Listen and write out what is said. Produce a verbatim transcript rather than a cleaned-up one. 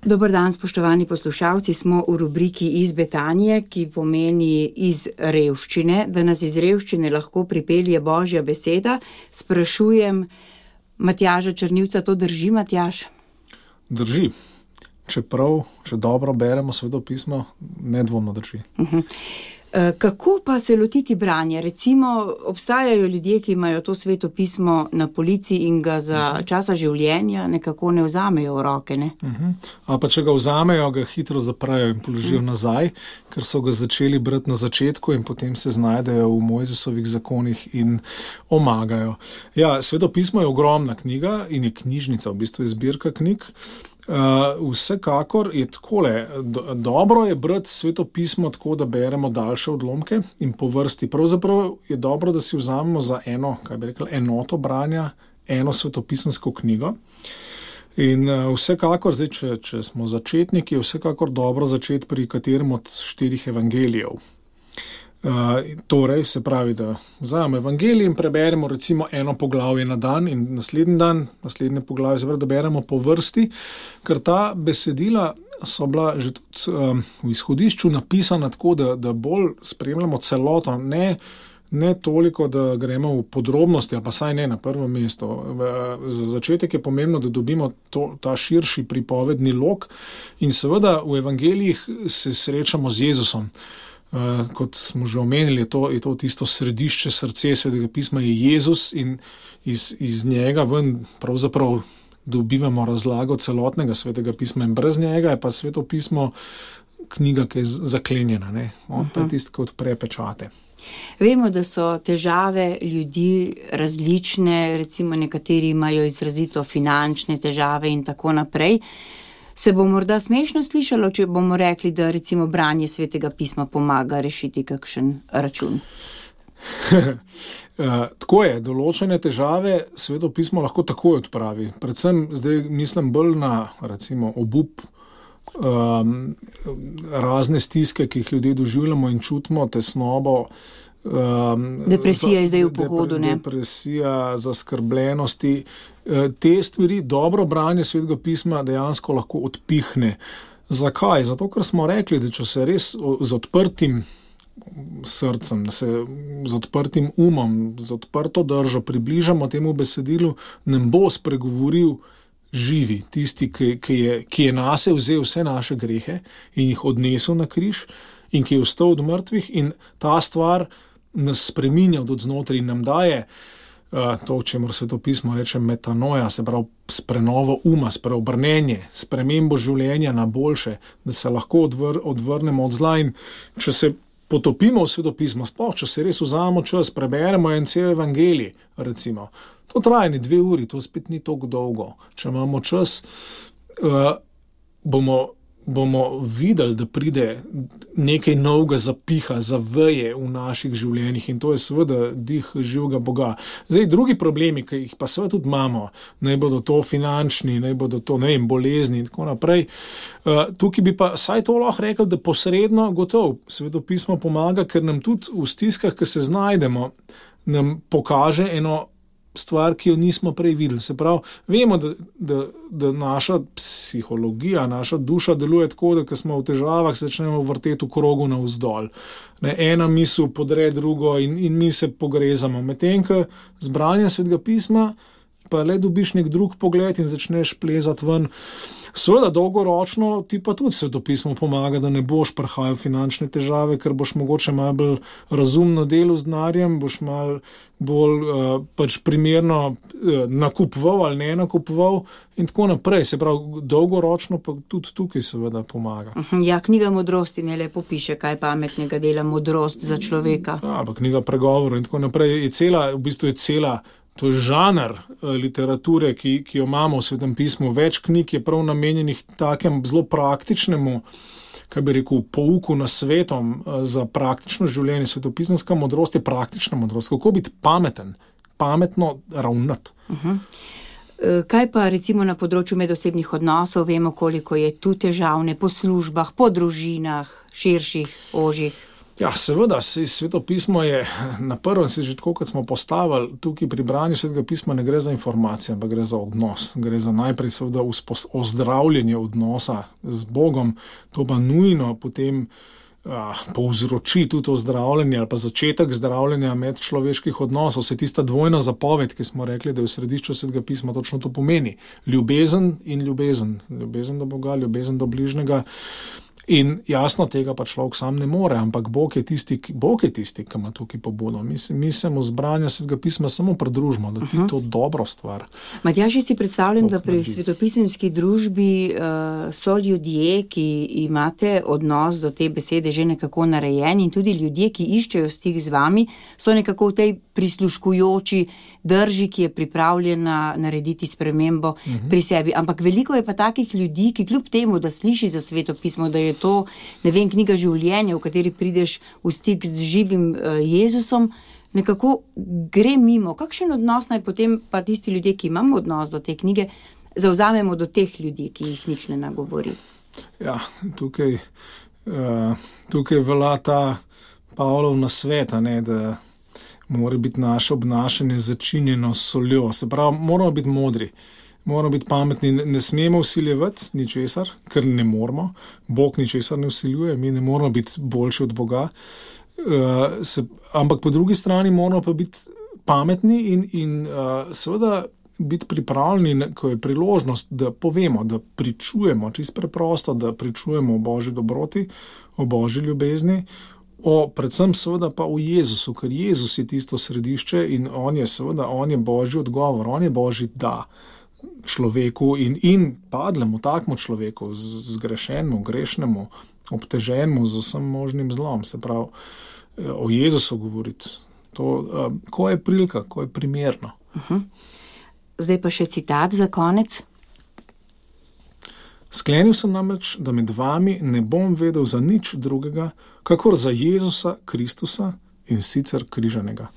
Dober dan, spoštovani poslušalci, smo v rubriki Iz Betanije, ki pomeni iz revščine, da nas iz revščine lahko pripelje Božja beseda. Sprašujem Matjaža Črnivca, to drži, Matjaž? Drži. Čeprav, če dobro beremo Svetopismo, nedvomno drži. Uh-huh. Kako pa se lotiti branja? Recimo, obstajajo ljudje, ki imajo to Svetopismo na polici in ga za uh-huh. časa življenja nekako ne vzamejo v roke, ne? Uh-huh. A pa če ga vzamejo, ga hitro zaprajo in položijo uh-huh. nazaj, ker so ga začeli brati na začetku in potem se znajdejo v Mojzesovih zakonih in omagajo. Ja, Svetopismo je ogromna knjiga in je knjižnica, v bistvu je zbirka knjig. Uh, vsekakor je takole, do, dobro je brati Svetopismo tako, da beremo daljše odlomke in po vrsti. Pravzaprav je dobro, da si vzamemo za eno, kaj bi rekla, enoto branja, eno svetopisansko knjigo. In uh, vsekakor, zdaj, če, če smo začetniki, je vsekakor dobro začeti pri katerem od štirih evangelijev. Uh, torej, se pravi, da vzamemo evangelij in preberemo recimo eno poglavje na dan in naslednji dan, naslednje poglavje, se pravi, da beremo po vrsti, ker ta besedila so bila že tudi um, v izhodišču napisana tako, da, da bolj spremljamo celoto, ne, ne toliko, da gremo v podrobnosti, ali pa saj ne na prvo mesto. Za začetek je pomembno, da dobimo to, ta širši pripovedni lok in seveda v evangelijih se srečamo z Jezusom. Uh, kot smo že omenili, je to, je to tisto središče, srce Svetega pisma je Jezus in iz, iz njega ven pravzaprav dobivamo razlago celotnega Svetega pisma in brez njega je pa Sveto pismo knjiga, ki je zaklenjena, ne? On pa je tisti, ki odpre pečate. Vemo, da so težave ljudi različne, recimo nekateri imajo izrazito finančne težave in tako naprej. Se bo morda smešno slišalo, če bomo rekli, da recimo branje Svetega pisma pomaga rešiti kakšen račun? Tako je, določene težave Sveto pismo lahko takoj odpravi. Predvsem zdaj mislim bolj na recimo obup, um, razne stiske, ki jih ljudje doživljamo in čutimo, tesnobo. Um, depresija je zdaj v pohodu, depre, ne? Depresija, zaskrbljenosti. Te stvari, dobro branje Svetega pisma dejansko lahko odpihne. Zakaj? Zato, ker smo rekli, da če se res z odprtim srcem, da se z odprtim umom, z odprto držo približamo temu besedilu, nam bo spregovoril živi, tisti, ki, ki, je, ki je nase vzel vse naše grehe in jih odnesel na križ in ki je vstal od mrtvih in ta stvar nas spreminja od znotraj in nam daje uh, to, čemur Sveto pismo reče metanoja, se pravi s prenovo uma, s preobrnenje, spremembo življenja na boljše, da se lahko odvr, odvrnemo od zla in če se potopimo v Sveto pismo, sploh, če se res vzamemo čas, preberemo en cel evangelij, recimo, to traja ne dve uri, to spet ni toliko dolgo. Če imamo čas, uh, bomo bomo videli, da pride nekaj novega zapiha, zaveje v naših življenjih in to je seveda dih živega Boga. Zdaj, drugi problemi, ki jih pa seveda tudi imamo, naj bodo to finančni, naj bodo to, ne vem, bolezni in tako naprej, uh, tukaj bi pa saj to lahko rekel, da posredno gotov Sveto pismo pomaga, ker nam tudi v stiskah, ki se znajdemo, nam pokaže eno stvar, ki jo nismo prej videli. Se pravi, vemo, da, da, da naša psihologija, naša duša deluje tako, da ko smo v težavah, se začnemo vrteti v krogu navzdol. Ne, ena misel podre drugo in, in mi se pogrezamo. Medtem, ko z branjem Svetega pisma pa le dobiš nek drug pogled in začneš plezati ven. Seveda, dolgoročno ti pa tudi Sveto pismo pomaga, da ne boš prihajal finančne težave, ker boš mogoče malo bolj razumno delo z denarjem, boš malo bolj uh, pač primerno uh, nakupoval ali ne nakupoval in tako naprej. Se pravi, dolgoročno pa tudi tukaj seveda pomaga. Ja, knjiga modrosti ne lepo piše, kaj pametnega dela modrost za človeka. Ja, pa knjiga pregovorov in tako naprej je cela, v bistvu je cela. To je žanr literature, ki, ki jo imamo v Svetem pismu. Več knjig je prav namenjenih takem zelo praktičnemu, kaj bi rekel, pouku na svetom za praktično življenje. Svetopisanska modrost je praktična modrost. Kako biti pameten, pametno ravnati. Uh-huh. Kaj pa recimo na področju medosebnih odnosov? Vemo, koliko je tu težavne po službah, po družinah, širših, ožjih. Ja, seveda, Sveto pismo je na prvem, se že tako, kot smo postavili, tukaj pri branju Svetega pisma ne gre za informacije, ampak gre za odnos. Gre za najprej seveda ozdravljenje odnosa z Bogom, to pa nujno potem ah, povzroči tudi ozdravljanje ali pa začetek zdravljenja medčloveških odnosov. Vse tista dvojna zapoved, ki smo rekli, da je v središču Svetega pisma, točno to pomeni. Ljubezen in ljubezen. Ljubezen do Boga, ljubezen do bližnjega. In jasno, tega pa človek sam ne more, ampak Bog je tisti, Bog je tisti, ki ima tukaj pobudo. Mi, mi se mu z branjem Svetega pisma samo pridružimo, da ti uh-huh. to dobro stvar. Matjaž, si predstavljam, da pri svetopisemski družbi uh, so ljudje, ki imate odnos do te besede že nekako narejen, in tudi ljudje, ki iščejo stik z vami, so nekako v tej prisluškujoči drži, ki je pripravljena narediti spremembo uh-huh. pri sebi. Ampak veliko je pa takih ljudi, ki kljub temu, da sliši za Sveto pismo, da je to, ne vem, knjiga življenja, v kateri prideš v stik z živim uh, Jezusom, nekako gre mimo. Kakšen odnos naj potem pa tisti ljudje, ki imamo odnos do te knjige, zavzamemo do teh ljudi, ki jih nič ne nagovori? Ja, tukaj, uh, tukaj velja ta Pavlov nasvet, ne, da mora biti naše obnašanje začinjeno s soljo. Se pravi, moramo biti modri. Moramo biti pametni, ne smemo vsiljevati ničesar, ker ne moramo. Bog ničesar ne vsiljuje, mi ne moramo biti boljši od Boga. Uh, se, ampak po drugi strani moramo pa biti pametni in, in uh, seveda biti pripravljeni, ko je priložnost, da povemo, da pričujemo, čisto preprosto, da pričujemo o Božji dobroti, o Božji ljubezni, o, predvsem seveda pa o Jezusu, ker Jezus je tisto središče in on je seveda, on je Božji odgovor, on je Božji da človeku in, in padlemu, takmu človeku, zgrešenemu, grešnemu, obteženemu z vsem možnim zlom. Se pravi, o Jezusu govoriti, to, ko je prilika, ko je primerno. Uh-huh. Zdaj pa še citat za konec. Sklenil sem namreč, da med vami ne bom vedel za nič drugega, kakor za Jezusa Kristusa in sicer križanega.